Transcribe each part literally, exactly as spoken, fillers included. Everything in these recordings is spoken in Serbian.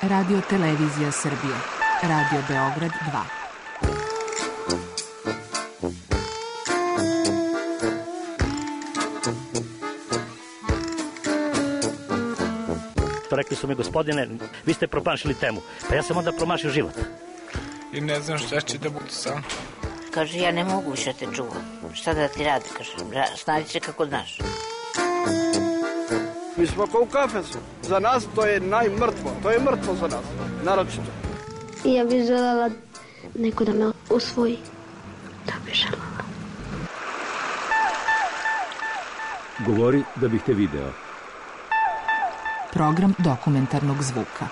Radio Televizija Srbije. Radio Beograd dva. Rekli su mi, gospodine, vi ste promašili temu. Pa ja sam onda promašio život. I ne znam šta će da bude sam. Kaže, ja ne mogu više te čuvam. Šta da ti radi, kaže, snađi se kako znaš. Mi smo kao u kafesu. Za nas to je najmrtvo. To je mrtvo za nas, naročito. Ja bih željela neko da me usvoji. Da bih željela. Govori da bih te video. Program dokumentarnog zvuka.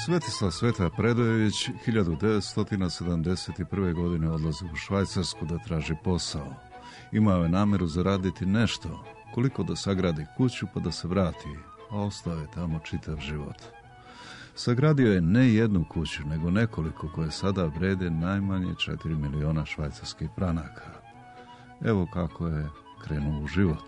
Svetislav Sveta Predojević hiljadu devetsto sedamdeset prve. godine odlazi u Švajcarsku da traži posao. Imao je nameru zaraditi nešto, koliko da sagradi kuću pa da se vrati, a ostao je tamo čitav život. Sagradio je ne jednu kuću, nego nekoliko koje sada vrede najmanje četiri miliona švajcarskih franaka. Evo kako je krenuo u život.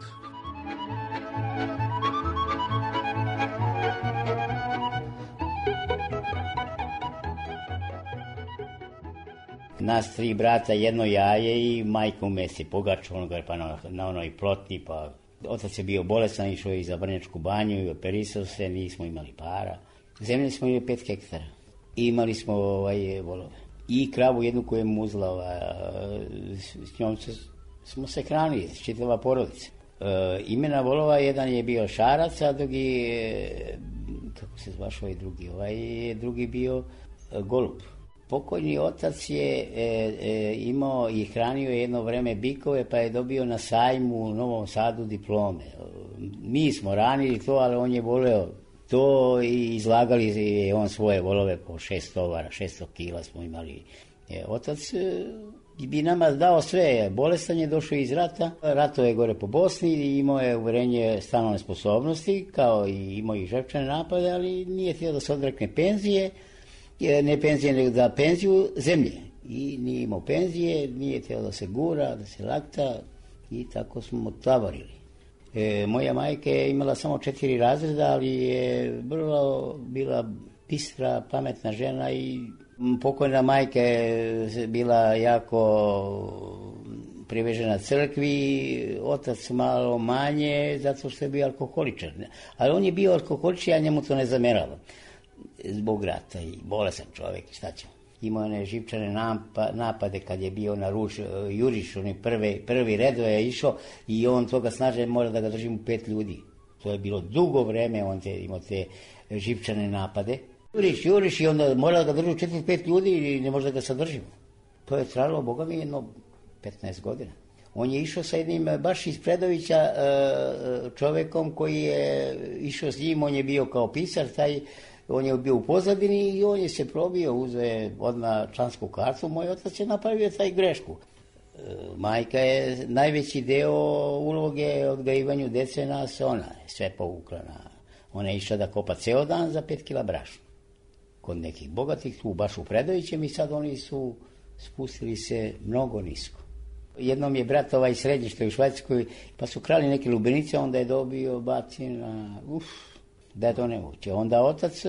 Nas tri brata, jedno jaje i majka u mesi, pogaču onoga pa na, na onoj plotni, pa otac je bio bolestan, išao je i za Vrnjačku banju i operisao se, nismo imali para. Zemlje smo imali pet hektara i imali smo ovaj, volove. I kravu jednu koju je muzla, ovaj, s njom se, smo se hranili, čitava porodica. E, imena volova, jedan je bio Šarac, a drugi, kako se zvaš ovaj drugi, ovaj drugi bio e, Golub. Pokojni otac je e, e, imao i hranio jedno vreme bikove, pa je dobio na sajmu u Novom Sadu diplome. Mi smo ranili to, ali on je voleo to i izlagali je on svoje volove po šest tovara, šesto kila smo imali. E, otac e, bi nama dao sve, bolestan je došao iz rata, rato je gore po Bosni i imao je uverenje stanovne sposobnosti, kao i imao i žrtvene napade, ali nije htio da se odrekne penzije, ne penzije, nego da penziju zemlje. I nije imao penzije, nije htio da se gura, da se lakta i tako smo tavorili. E, moja majka je imala samo četiri razreda, ali je vrlo bila bistra, pametna žena i pokojna majka je bila jako privežena crkvi, otac malo manje, zato što je bio alkoholičar. Ali on je bio alkoholičar, ja njemu to ne zamerala. Zbog rata i bolesan čovjek, šta ćemo. Imao je živčane napade kad je bio na ruč, juriš, on je prvi, prvi redo je išao i on toga snaže mora da ga držimo pet ljudi. To je bilo dugo vreme, on te, imao te živčane napade. Juriš, juriš i onda mora da ga držimo četiri pet ljudi i ne može da ga sadržimo. To je trajalo, boga mi, jedno petnaest godina. On je išao sa jednim baš iz Predovića čovjekom koji je išao s njim, on je bio kao pisar, taj on je bio u pozadini i on je se probio, uzeo je odmah člansku kartu, moj otac je napravio taj grešku. E, majka je najveći deo uloge odgajivanju dece nas, ona je sve povukla na... Ona je išla da kopa ceo dan za pet kila brašna. Kod nekih bogatih, tu baš u Predovićem i sad oni su spustili se mnogo nisko. Jednom je brat ovaj srednji što je u Švajcarskoj, pa su krali neke lubenice, onda je dobio bacina, uff. Da je to nemoguće. Onda otac,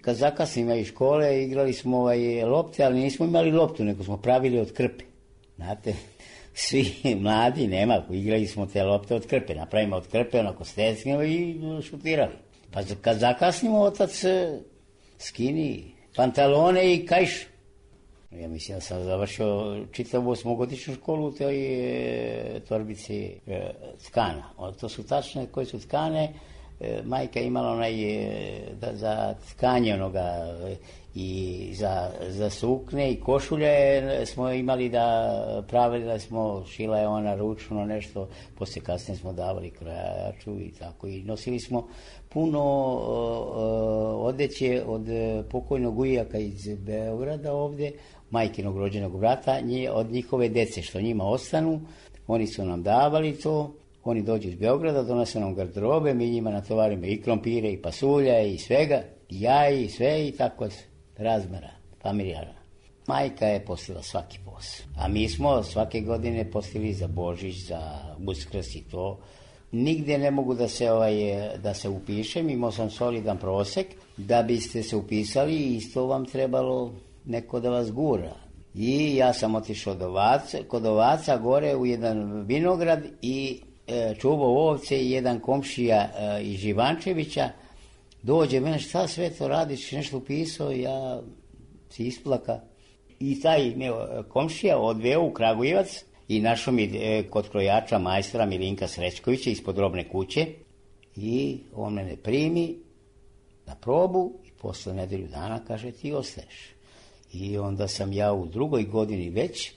kad zakasnimo iz škole, igrali smo ovaj lopte, ali nismo imali loptu, nego smo pravili od krpe. Znate, svi mladi, nema, igrali smo te lopte od krpe, napravimo od krpe, onako stecnimo i šutirali. Pa kad zakasnimo, otac skini pantalone i kajš. Ja mislim da sam završio čitavu osmogodišnju školu u toj e, torbici e, tkana. O, to su tačne koje su tkane. Majka je imala onaj da, za tkanje onoga i za, za sukne i košulje smo imali da pravili da smo, šila je ona ručno nešto, poslije kasnije smo davali krojaču i tako i nosili smo puno uh, odeće od pokojnog ujaka iz Beograda ovdje, majkinog rođenog brata, nje, od njihove dece što njima ostanu, oni su nam davali to. Oni dođu iz Beograda, donose nam garderobe, mi njima natovarimo i krompire, i pasulja, i svega, i jaji, i sve, i tako razmera, familijarna. Majka je postila svaki posao, a mi smo svake godine postili za Božić, za Uskrs i to. Nigde ne mogu da se, ovaj, da se upišem, imao sam solidan prosek, da biste se upisali, isto vam trebalo neko da vas gura. I ja sam otišao do Ovaca, kod Ovaca gore u jedan vinograd i e, čuvao ovce i jedan komšija e, iz Živančevića dođe mene, šta sve to radiš, nešto upisao, ja se isplaka. I taj me komšija odveo u Kragujevac i našao mi e, kod krojača majstora Milinka Srećkovića ispod Robne kuće i on mene primi na probu i posle nedelju dana kaže ti ostaješ. I onda sam ja u drugoj godini već,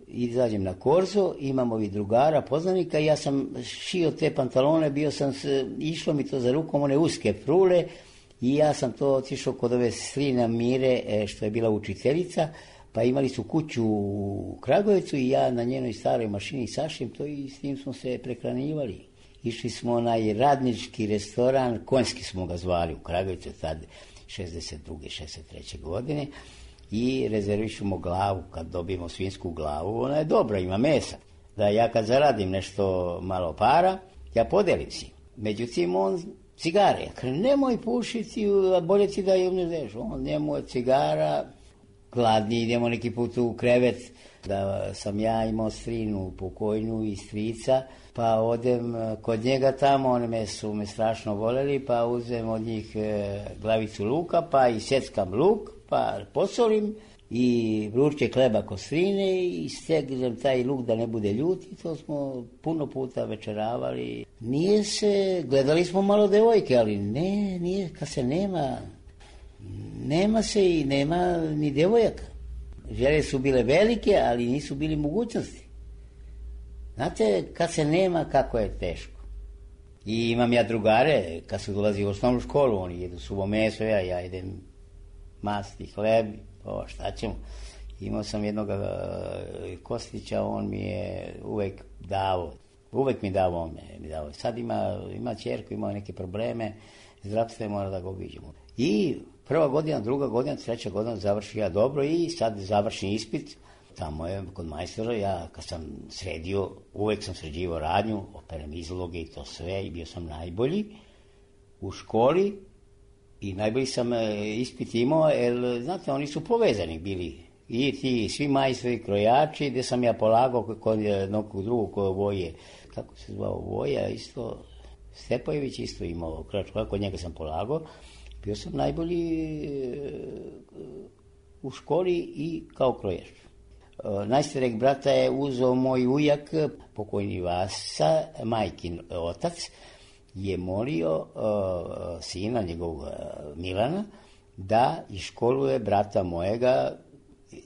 izađem na korzo, imam ovih drugara, poznanika, ja sam šio te pantalone, bio sam, išlo mi to za rukom, one uske prule, i ja sam to otišao kod ove strina Mire, što je bila učiteljica, pa imali su kuću u Kragujevcu i ja na njenoj staroj mašini sašim to i s tim smo se prehranjivali. Išli smo onaj radnički restoran, konjski smo ga zvali u Kragujevcu, tad šezdeset druge šezdeset treće godine, i rezervišemo glavu, kad dobijemo svinsku glavu, ona je dobra, ima mesa. Da ja kad zaradim nešto malo para, ja podelim si. Međutim, on cigare, ja kažem, nemoj pušiti, bolje ti da je umneš, on nemoj cigara, gladni, idemo neki put u krevet, da sam ja imao strinu pokojnu i strica, pa odem kod njega tamo, oni me su me strašno voljeli, pa uzem od njih e, glavicu luka, pa i seckam luk, pa posolim i vruće hleba kostrine i stegnem taj luk da ne bude ljut i to smo puno puta večeravali. Nije se, gledali smo malo devojke, ali ne, nije, kad se nema, nema se i nema ni devojaka. Želje su bile velike, ali nisu bili mogućnosti. Znate, kad se nema, kako je teško. I imam ja drugare, kad su dolazi u osnovnu školu, oni jedu suvo meso, ja, ja jedem masti, hleb, o, šta ćemo. Imao sam jednog uh, Kostića, on mi je uvek dao, uvek mi dao, on mi dao. Sad ima, ima ćerku, ima neke probleme, zdravstveno mora da ga obiđemo. I prva godina, druga godina, treća godina završi ja dobro i sad završim ispit. Tamo je kod majstora, ja kad sam sredio, uvek sam sređivao radnju, operem izloge i to sve i bio sam najbolji u školi i najbolji sam ispit imao, jer znate, oni su povezani bili. I ti svi majstori, krojači, gde sam ja polagao kod nekog drugog kod Voje, kako se zvao Voja, isto, Stepojević isto imao krojač, kod njega sam polagao. Bio sam najbolji u školi i kao krojač. Najstarijeg brata je uzeo moj ujak, pokojni Vasa, majkin otac, je molio uh, sina njegovog uh, Milana da iškoluje brata mojega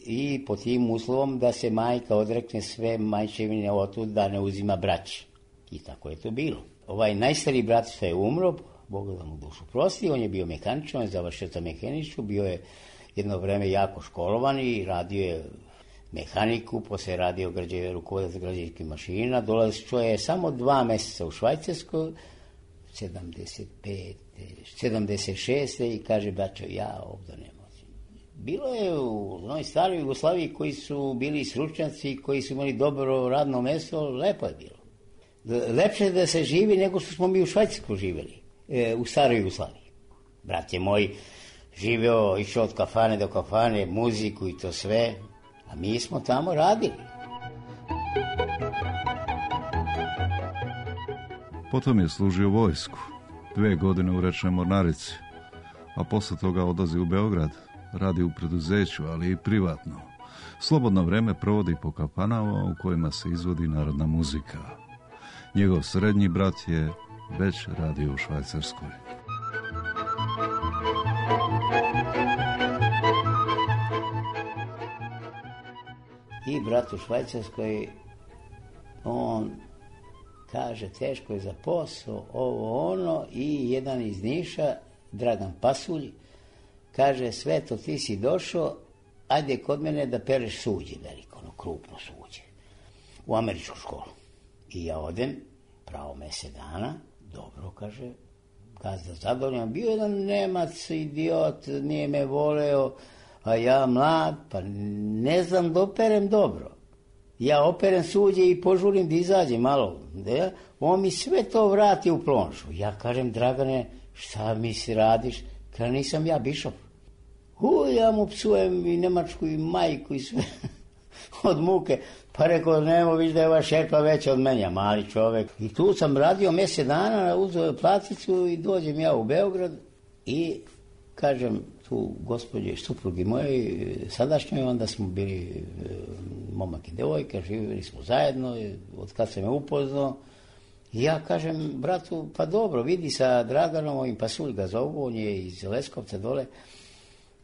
i po tim uslovom da se majka odrekne sve majčevine otud, da ne uzima braći. I tako je to bilo. Ovaj najstariji brat što je umro, Bog da mu dušu prosti, on je bio mehaničar, on je završio za mehaničku, bio je jedno vreme jako školovan i radio je mehaniku, posle je radio rukovodac građevinskih mašina, dolazio je samo dva meseca u Švajcarskoj, sedamdeset pete, sedamdeset šeste i kaže, braćo, ja ovdje ne moćem. Bilo je u onoj staroj Jugoslaviji koji su bili stručnjaci, koji su imali dobro radno mesto, lepo je bilo. Lepše je da se živi nego što smo mi u Švajcarsku živjeli, e, u staroj Jugoslaviji. Brat je moj živeo, išao od kafane do kafane, muziku i to sve, a mi smo tamo radili. Potom je služio vojsku, dve godine u rečnoj mornarici, a posle toga odlazi u Beograd, radi u preduzeću, ali i privatno. Slobodno vreme provodi po kafanama u kojima se izvodi narodna muzika. Njegov srednji brat je već radio u Švajcarskoj. I brat u Švajcarskoj, on kaže, teško je za posao, ovo ono, i jedan iz Niša, Dragan Pasulj, kaže, Sveto, ti si došao, ajde kod mene da pereš suđe veliko, ono krupno suđe, u američku školu. I ja odem pravo mjesec dana, dobro, kaže, gazda zadovoljan, bio jedan Nemac, idiot, nije me voleo, a ja mlad, pa ne znam da operem dobro. Ja operem suđe i požurim da izađem malo. Da? On mi sve to vrati u plonžu. Ja kažem, Dragane, šta mi si radiš? Kaže, nisam ja bišof. U, ja mu psujem i Nemačku i majku i sve od muke. Pa rekao, nemo viš da je ova šerpa veća od menja, mali čovek. I tu sam radio mjesec dana, uzeo platicu i dođem ja u Beograd i kažem tu gospođe suprugi moje, sadašnjoj, onda smo bili momak i devojka, živjeli smo zajedno, od kad sam me upoznao. I ja kažem bratu, pa dobro, vidi sa Draganom, ovim Pasulj ga zovu, on je iz Leskovca dole,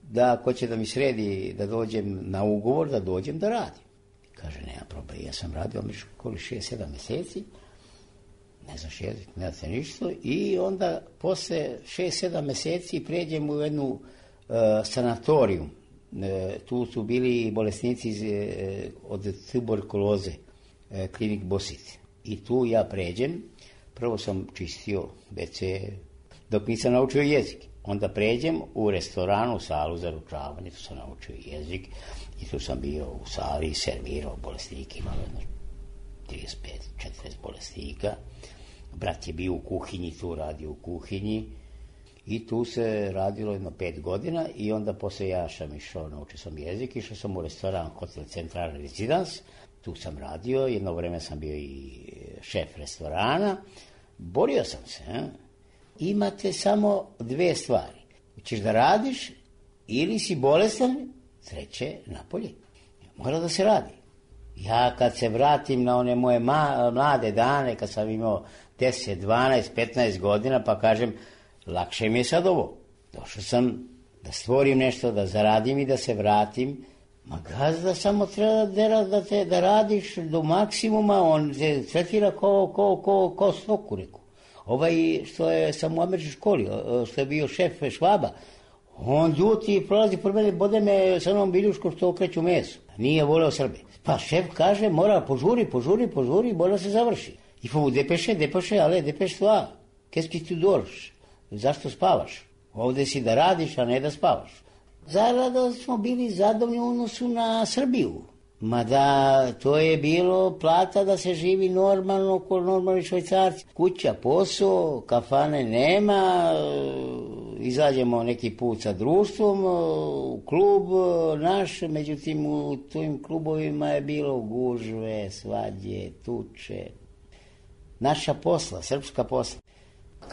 da ako će da mi sredi da dođem na ugovor, da dođem da radim. Kaže, nema problema, ja sam radio koli šest sedam mjeseci, ne znaš jezik, ne znate ništa, i onda posle šest sedam mjeseci pređem u jednu uh, sanatoriju. Uh, tu su bili bolesnici iz, uh, od tuberkuloze, uh, klinik Bosit. I tu ja pređem, prvo sam čistio ve ce dok nisam naučio jezik. Onda pređem u restoranu, u salu za ručavanje, tu sam naučio jezik i tu sam bio u sali i servirao bolesnike, imao jedno trideset pet četrdeset bolesnika. Brat je bio u kuhinji, tu radio u kuhinji i tu se radilo jedno pet godina i onda posle ja sam išao, naučio sam jezik, išao sam u restoran Hotel Central Residence, tu sam radio, jedno vreme sam bio i šef restorana, borio sam se, eh? Imate samo dve stvari. Hoćeš da radiš ili si bolestan, sreće napolje. Mora da se radi. Ja kad se vratim na one moje ma, mlade dane, kad sam imao deset, dvanaest, petnaest godina, pa kažem, lakše mi je sad ovo. Došao sam da stvorim nešto, da zaradim i da se vratim. Ma gazda samo treba da, da, te, da radiš do maksimuma, on se tretira ko, ko, ko, ko stoku, reku. Ovaj što je sam u američkoj školi, što je bio šef Švaba, on ljuti i prolazi por mene, bode me sa onom biljuškom što okreću mesu. Nije voleo Srbe. Pa šef kaže, mora požuri, požuri, požuri, mora se završi. I faut depeše, depeše, ale depeš toi. Qu'est-ce que tu dors? Zašto spavaš? Ovde si da radiš, a ne da spavaš. Zarada smo bili zadovoljni u odnosu na Srbiju. Mada to je bilo plata da se živi normalno, ko normalni Švajcarci. Kuća, posao, kafane nema, izađemo neki put sa društvom, u klub naš, međutim u tim klubovima je bilo gužve, svađe, tuče. Naša posla, srpska posla.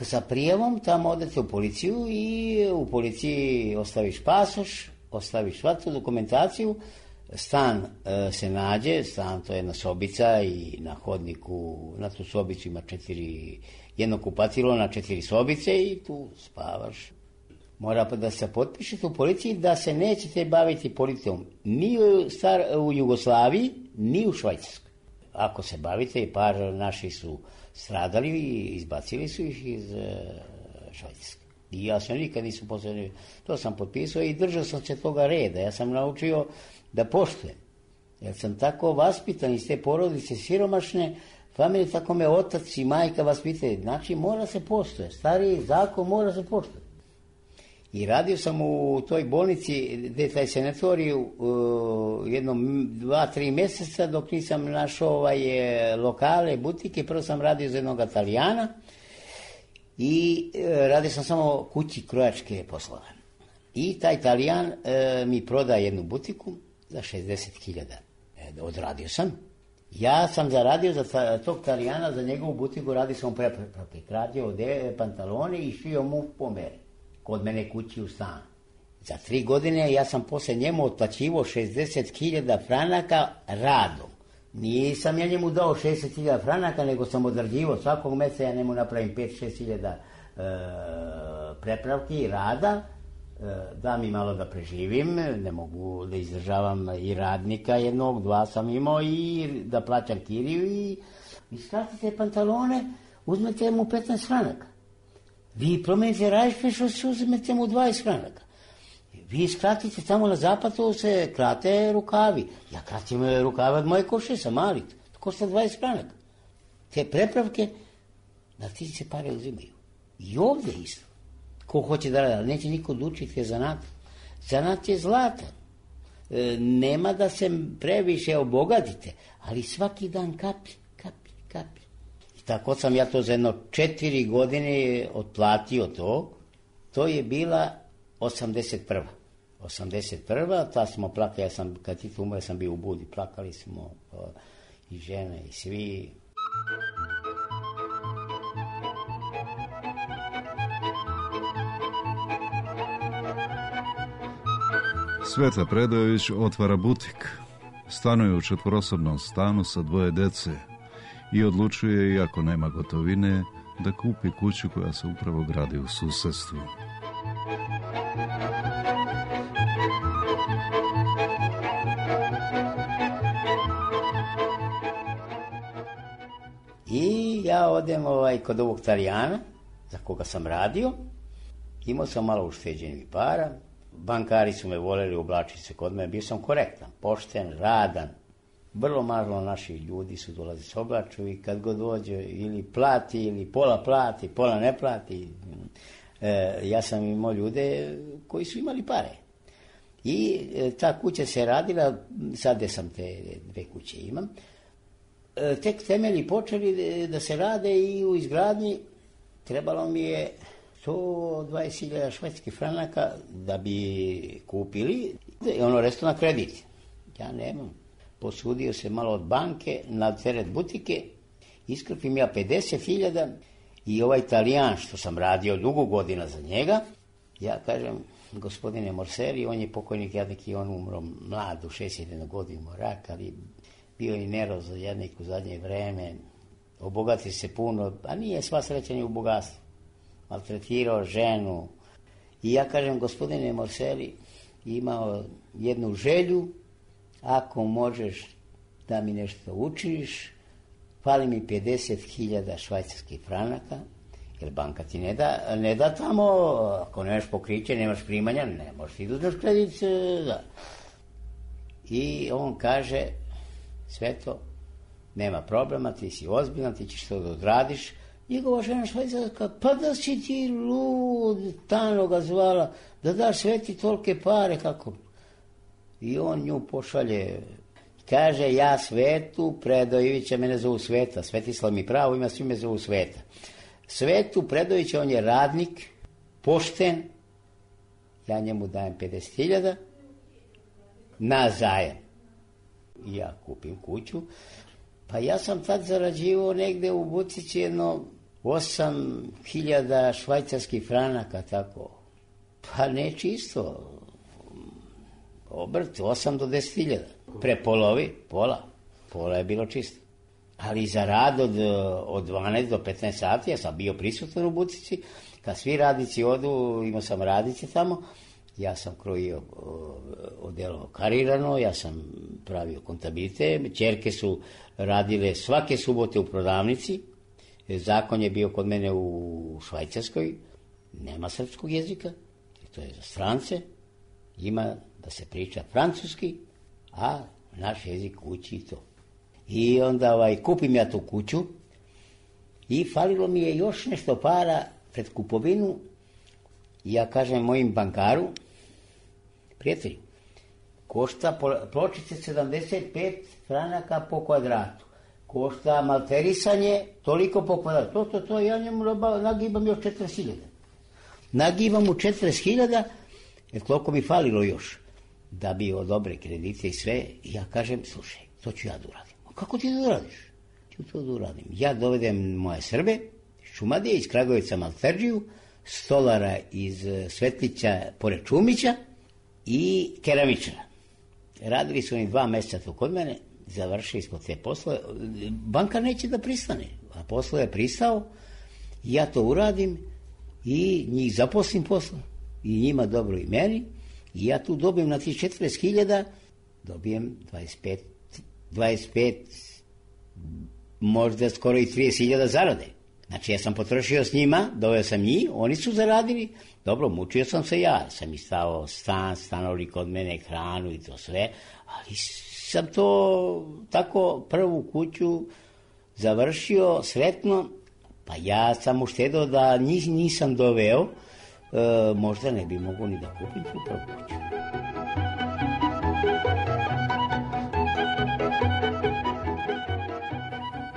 Sa prijavom tamo odete u policiju i u policiji ostaviš pasoš, ostaviš svaku dokumentaciju, stan e, se nađe, stan to je jedna sobica i na hodniku, na tu sobicu ima četiri, jedno kupatilo na četiri sobice i tu spavaš. Mora pa da se potpišete u policiji da se nećete baviti politikom ni u, star, u Jugoslaviji, ni u Švajcarskoj. Ako se bavite, par naši su stradali i izbacili su ih iz e, Švajcarske. I ja sam nikad nisam poslednio, to sam potpisao i držao sam se toga reda. Ja sam naučio da poštujem. Jer sam tako vaspitan iz te porodice siromašne, familije, tako me otac i majka vaspitaju. Znači mora se poštuje, stari zakon mora se poštuje. I radio sam u toj bolnici, gde taj sanatoriju, uh, jednom dva, tri mjeseca dok nisam našao ovaj, lokale, butike. Prvo sam radio za jednog Italijana i uh, radio sam samo kući krojačke poslove. I taj Italijan uh, mi proda jednu butiku za šezdeset hiljada. E, odradio sam. Ja sam zaradio za ta, tog Italijana, za njegovu butiku, radio sam prepreke. Radio ode pantalone i šio mu po meri. Kod mene kući u stan. Za tri godine ja sam posle njemu otplaćivao šezdeset hiljada franaka radom. Nisam ja njemu dao šezdeset hiljada franaka, nego sam odrađivao svakog meseca, ja njemu napravim pet šest hiljada e, prepravki rada, e, da mi malo da preživim, ne mogu da izdržavam i radnika jednog, dva sam imao i da plaćam kiriju i iskratite pantalone, uzmete mu petnaest franaka. Vi promenite rajšpeš, uzmete mu dvadeset franaka. Vi skratite tamo na zapadu, se krate rukavi. Ja kratim rukave od moje koše, sam mali. To košta dvadeset franaka. Te prepravke da ti se pare uzimaju. I ovde isto. Ko hoće da radi, ali neće niko da učiti zanat. Zanat je zlatan. E, nema da se previše obogatite, ali svaki dan kapi, kapi, kapi. I tako sam ja to za jedno četiri godine otplatio to. To je bila osamdeset prva. osamdeset prva, ta smo plakali, ja sam, kad ti umre, sam bio u Budi, plakali smo o, i žene i svi. Sveta Predojević otvara butik. Stanuje u četvorosobnom stanu sa dvoje dece i odlučuje, iako nema gotovine, da kupi kuću koja se upravo gradi u susedstvu. I ja odem ovaj, kod ovog Talijana, za koga sam radio. Imao sam malo ušteđenih para. Bankari su me voljeli oblačiti se kod mene. Bio sam korektan, pošten, radan. Vrlo malo naših ljudi su dolazi s oblaču i kad god dođe ili plati, ili pola plati, pola ne plati. E, ja sam imao ljude koji su imali pare. I e, ta kuća se radila, sad gde sam te dve kuće imam, e, tek temelji počeli da se rade i u izgradnji trebalo mi je sto dvadeset hiljada švedskih franaka da bi kupili i ono resto na kredit. Ja nemam. Posudio se malo od banke na teret butike, iskrpim ja pedeset hiljada i ovaj Talijan što sam radio dugo godina za njega, ja kažem, gospodine Morseri, on je pokojnik jadnik i on umro mlad u šezdeset jedne godine rak, ali bio i nervoz jadnik u zadnje vreme, obogati se puno, a nije sva sreća ni u bogatstvu. Maltretirao ženu. I ja kažem, gospodine Morseri, imao jednu želju, ako možeš da mi nešto učiš, fali mi pedeset hiljada švajcarskih franaka, jer banka ti ne da, ne da tamo, ako nemaš pokriće, nemaš primanja, ne možeš ti da uzmeš kredit. Da. I on kaže, Sveto, nema problema, ti si ozbiljan, ti ćeš to da odradiš. Njegova žena švajcarska, pa da si ti lud, Tano ga zvala, da daš Sveti tolike pare, kako? I on nju pošalje, kaže, ja Svetu Predojevića, mene zovu Sveta, Svetislav mi pravo ima, svi me zovu Sveta. Svetu Predojevića, on je radnik, pošten, ja njemu dajem pedeset hiljada na zajam. I ja kupim kuću. Pa ja sam tad zarađivao negde u butici jedno osam hiljada švajcarskih franaka, tako. Pa ne čisto. Obrt, osam do deset hiljada. Prepolovi, pola. Pola je bilo čisto. Ali za rad od, od dvanaest do petnaest sati, ja sam bio prisutan u butici. Kad svi radnici odu, imao sam radnice tamo, ja sam krojio odelo karirano, ja sam pravio kontabilite, ćerke su radile svake subote u prodavnici, zakon je bio kod mene u Švajcarskoj, nema srpskog jezika, to je za strance, ima da se priča francuski, a naš jezik uči i to. I onda ovaj, kupim ja tu kuću i falilo mi je još nešto para pred kupovinu. I ja kažem mojim bankaru, prijatelju, košta pločice sedamdeset pet franaka po kvadratu, košta malterisanje toliko po kvadratu, to, to, to, ja njemu nagibam još četrdeset hiljada. Nagibam mu četrdeset hiljada, jer koliko mi falilo još, da bi odobre kredite i sve, i ja kažem, slušaj, to ću ja da uradim. A kako ti da uradiš? Ću to da uradim. Ja dovedem moje Srbe, Šumadije, iz Kragovica Malterđiju, stolara iz Svetlića pored Čumića i keramičara. Radili su oni dva mjeseca to kod mene, završili smo te poslove. Banka neće da pristane, a poslo je pristao, ja to uradim i njih zaposlim posla. I njima dobro i meni. I ja tu dobijem na tih četrdeset hiljada, dobijem dvadeset pet, dvadeset pet, možda skoro i trideset hiljada zarade. Znači, ja sam potrošio s njima, doveo sam njih, oni su zaradili, dobro, mučio sam se ja, sam istavao stan, stanovali kod mene, hranu i to sve, ali sam to tako prvu kuću završio sretno, Pa ja sam uštedao da njih nisam doveo, e, možda ne bi mogu ni da kupim tu prvu kuću.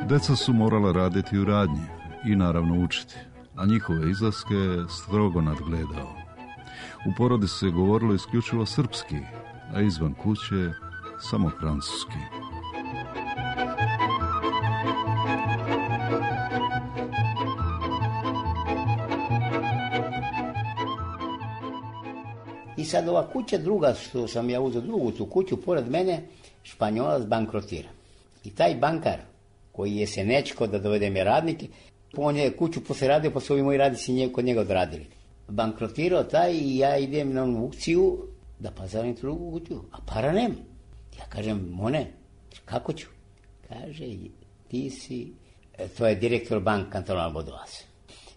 Deca su morala raditi u radnji i naravno učiti, a njihove izlaske strogo nadgledao. U porodi se govorilo isključivo srpski, a izvan kuće samo francuski. I sad ova kuća druga, što sam ja uzeo drugu tu kuću, pored mene, Španjolac bankrotira. I taj bankar, koji je se nečko da dovede me radnike, on je kuću posle radio, pa su ovi moji radnici nje, kod njega odradili. Bankrotirao taj i ja idem na onu aukciju da pazarim tu drugu kuću, a para nema. Ja kažem, Mone, kako ću? Kaže, ti si, e, to je direktor bank kantonal Bodoas.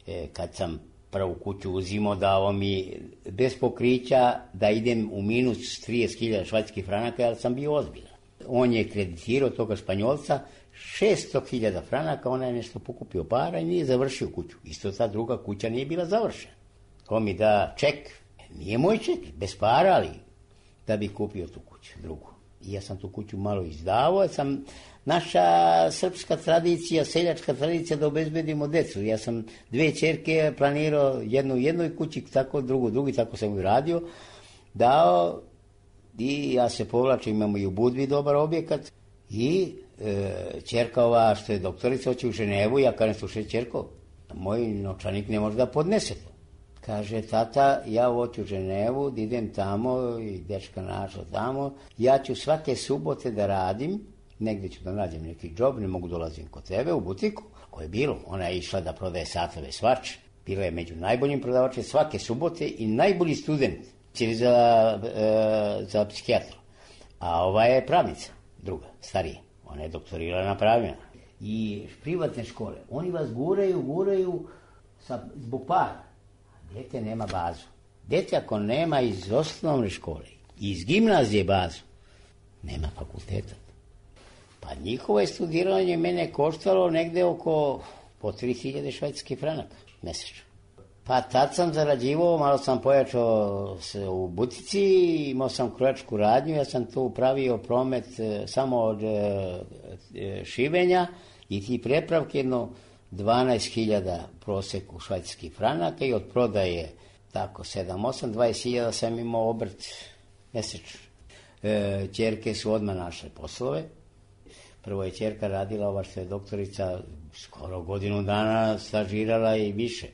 E, kad sam prvu kuću uzimo, dao mi bez pokrića da idem u minus trideset hiljada švajcarskih franaka, ali sam bio ozbiljan. On je kreditirao toga Španjolca šesto hiljada franaka, ona je nešto pokupio para i nije završio kuću. Isto ta druga kuća nije bila završena. Ko mi da ček, nije moj ček, bez para, ali da bi kupio tu kuću, drugu. I ja sam tu kuću malo izdavao, sam naša srpska tradicija, seljačka tradicija da obezbedimo decu. Ja sam dve ćerke planirao, jednu u jednoj kući, tako drugu u drugi, tako sam ju radio, dao i ja se povlačim, imamo i u Budvi dobar objekat i e, ćerka ova što je doktorica hoće u Ženevu, ja kažem, slušaj ćerko, moj novčanik ne može da podnese to. Kaže, tata, ja hoću u Ženevu, da idem tamo i dečka našla tamo, ja ću svake subote da radim, negdje ću da nađem neki džob, ne mogu dolazim kod tebe u butiku, koje je bilo, ona je išla da prodaje satove svač, bila je među najboljim prodavačima svake subote i najbolji student, cijeli za, e, za psihijatru. A ova je pravnica, druga, starija, ona je doktorirala na pravima. I privatne škole, oni vas guraju, guraju sa, zbog para. Dete nema bazu. Dete ako nema iz osnovne škole, iz gimnazije bazu, nema fakulteta. Pa njihovo je studiranje mene koštalo negde oko po tri hiljade švajcarskih franaka mesečno. Pa tad sam zarađivao, malo sam pojačao se u butici, imao sam krojačku radnju, ja sam tu pravio promet e, samo od e, e, šivenja i ti prepravke, jedno dvanaest hiljada proseku švajcarskih franaka i od prodaje tako sedam osam, dvadeset hiljada sam imao obrt mesečno. E, ćerke su odmah našle poslove. Prvo je ćerka radila, ova što je doktorica, skoro godinu dana stažirala i više.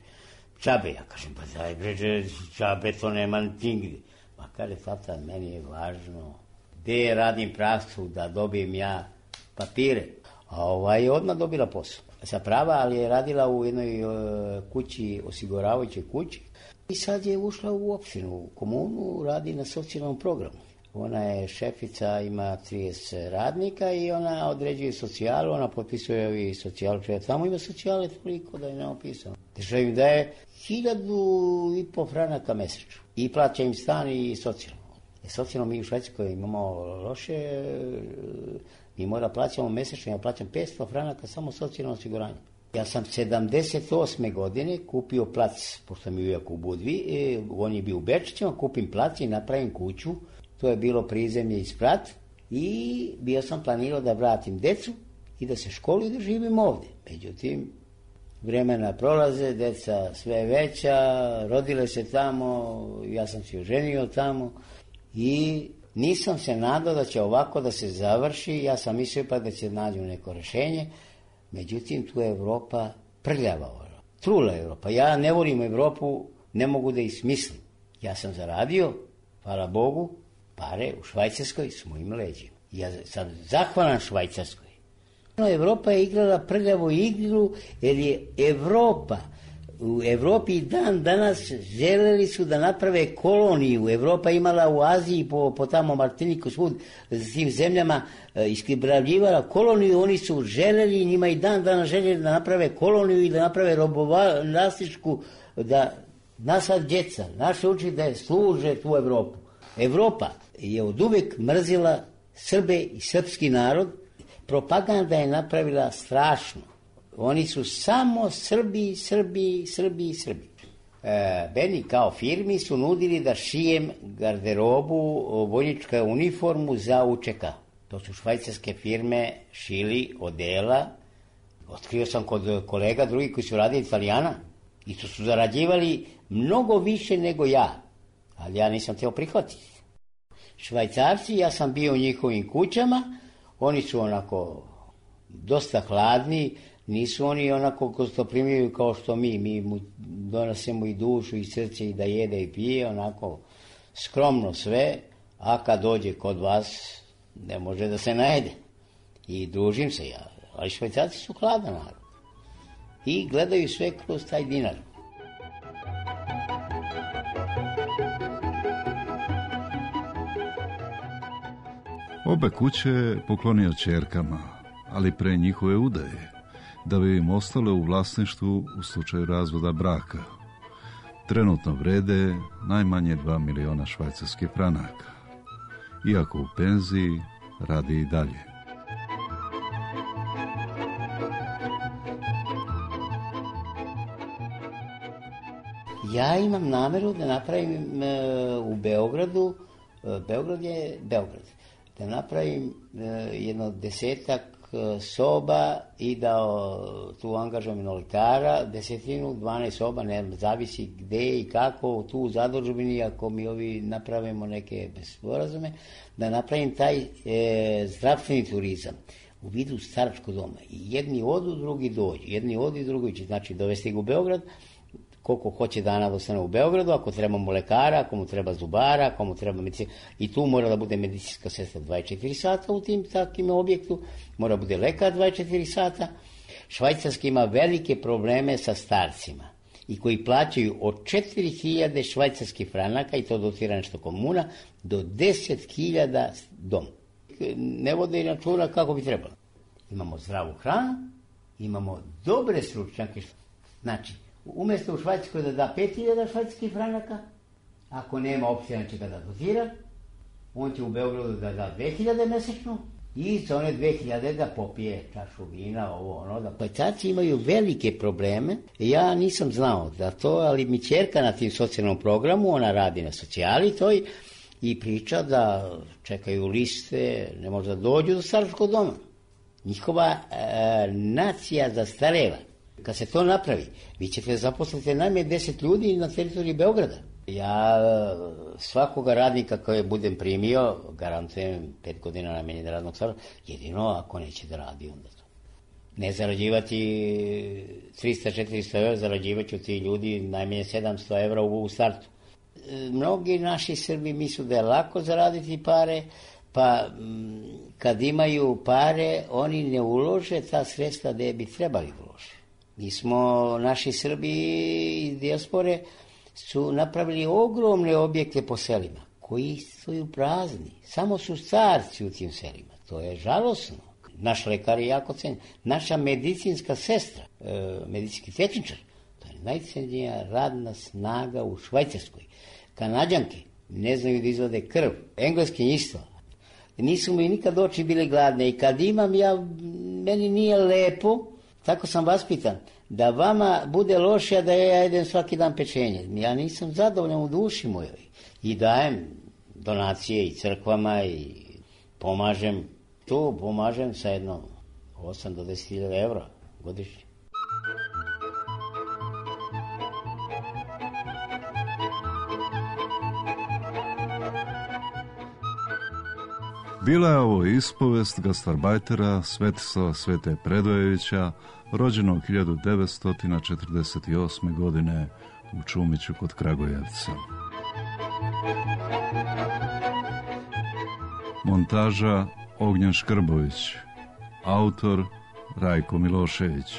Čabe, ja kažem, pa daj bređe, čabe to nema nigdje. Pa kaže, tata, meni je važno gde radim praksu da dobijem ja papire. A ova je odmah dobila posao. Sa prava, ali je radila u jednoj uh, kući, osiguravajućoj kući. I sad je ušla u opštinu, u komunu, radi na socijalnom programu. Ona je šefica, ima trideset radnika i ona određuje socijalu, ona potpisuje i socijalu, če tamo ima socijale toliko da je neopisano. Država im daje hiljadu i po franaka mesečno i plaća im stan i socijalno. E, socijalno mi u Švajcarskoj imamo loše, mi mora plaćamo mesečno, ja plaćam petsto franaka samo socijalno osiguranje. Ja sam sedamdeset osme godine kupio plac, pošto mi uvijek u Budvi, e, on je bio u Bečićima, kupim plac i napravim kuću. To je bilo prizemlje i sprat i bio sam planirao da vratim decu i da se školuju i da živim ovdje. Međutim, vremena prolaze, deca sve veća, rodile se tamo, ja sam se oženio tamo i nisam se nadao da će ovako da se završi, ja sam mislio pa da će nađu neko rešenje, međutim tu je Evropa prljava, trula Evropa. Ja ne volim Evropu, ne mogu da ismislim. Ja sam zaradio, hvala Bogu, pare u Švajcarskoj s mojim leđima. Ja sam zahvalan Švajcarskoj. Evropa je igrala prljavu igru jer je Evropa, u Evropi dan danas želeli su da naprave koloniju. Evropa imala u Aziji, po, po tamo Martiniku, svud, s tim zemljama e, iskribravljivala koloniju. Oni su želeli, njima i dan danas željeli da naprave koloniju i da naprave robovlasničku, da nasad djeca, naše uči da služe tu Evropu. Evropa je od uvek mrzila Srbe i srpski narod. Propaganda je napravila strašno. Oni su samo Srbi, Srbi, Srbi, Srbi. E, meni kao firmi su nudili da šijem garderobu, vojničku uniformu za U Č K. To su švajcarske firme šili odela. Otkrio sam kod kolega drugi koji su radili Italijana i to su zarađivali mnogo više nego ja, ali ja nisam teo prihvatiti. Švajcarci, ja sam bio u njihovim kućama, oni su onako dosta hladni, nisu oni onako gostoprimljivi kao što mi, mi mu donosimo i dušu i srce i da jede i pije, onako skromno sve, a kad dođe kod vas ne može da se najede. I družim se ja, ali Švajcarci su hladan narod i gledaju sve kroz taj dinar. Obe kuće je poklonio ćerkama, ali pre njihove udaje, da bi im ostale u vlasništvu u slučaju razvoda braka. Trenutno vrede najmanje dva miliona švajcarskih franaka. Iako u penziji, radi i dalje. Ja imam nameru da napravim e, u Beogradu, e, Beograd je Beograd, da napravim e, jedno desetak e, soba i da o, tu angažujem lekara, desetinu, dvanaest soba, ne zavisi gde i kako, tu u zadužbini, ako mi ovi napravimo neke sporazume, da napravim taj e, zdravstveni turizam u vidu staračkog doma. I jedni odu, drugi dođu, jedni odu i drugi će, znači dovesti ga u Beograd, koliko hoće dana da ostane u Beogradu, ako treba mu lekara, ako mu treba zubara, ako mu treba medicina. I tu mora da bude medicinska sestra dvadeset četiri sata u tim takim objektu, mora da bude lekar dvadeset četiri sata. Švajcarski ima velike probleme sa starcima i koji plaćaju od četiri hiljade švajcarskih franaka, i to dotira nešto komuna, do deset hiljada dom. Ne vode i računa kako bi trebalo. Imamo zdravu hranu, imamo dobre stručnjake. Znači, umjesto u Švajcarskoj da da pet hiljada švajcarskih franaka, ako nema opcija, će ga da dotira, on će u Beogradu da da dve hiljade mesečno i za one dve hiljade da popije čašu vina, ovo ono. Da... Švajcarci imaju velike probleme, ja nisam znao da to, ali mi ćerka na tim socijalnom programu, ona radi na socijali toj i priča da čekaju liste, ne može da dođu do staračkog doma. Njihova e, nacija zastareva. Kad se to napravi, vi ćete zaposliti najmanje deset ljudi na teritoriji Beograda. Ja svakoga radnika koje budem primio, garantujem pet godina najmanje radnog staža, jedino ako neće da radi onda to. Ne zarađivati trista do četiristo evra, zarađivaću ti ljudi najmanje sedamsto evra u startu. Mnogi naši Srbi misle da je lako zaraditi pare, pa kad imaju pare, oni ne ulože ta sredstva gde bi trebali uložiti. Mi smo, naši Srbi iz dijaspore su napravili ogromne objekte po selima, koji stoju prazni. Samo su starci u tim selima. To je žalosno. Naš lekar je jako cenjen. Naša medicinska sestra, e, medicinski tehničar, to je najcenjenija radna snaga u Švajcarskoj. Kanađanke ne znaju da izvode krv. Engleski isto. Nisu mi nikad oči bile gladne i kad imam ja, meni nije lepo, tako sam vaspitan, da vama bude loše, da ja jedem svaki dan pečenje. Ja nisam zadovoljan u duši mojoj. I dajem donacije i crkvama i pomažem. Tu pomažem sa jedno osam do deset hiljada evra godišnje. Bila je ovo ispovest gastarbajtera Svetislava Svete Predojevića, rođenog hiljadu devetsto četrdeset osme. godine u Čumiću kod Kragujevca. Montaža Ognjen Škrbović, autor Rajko Milošević.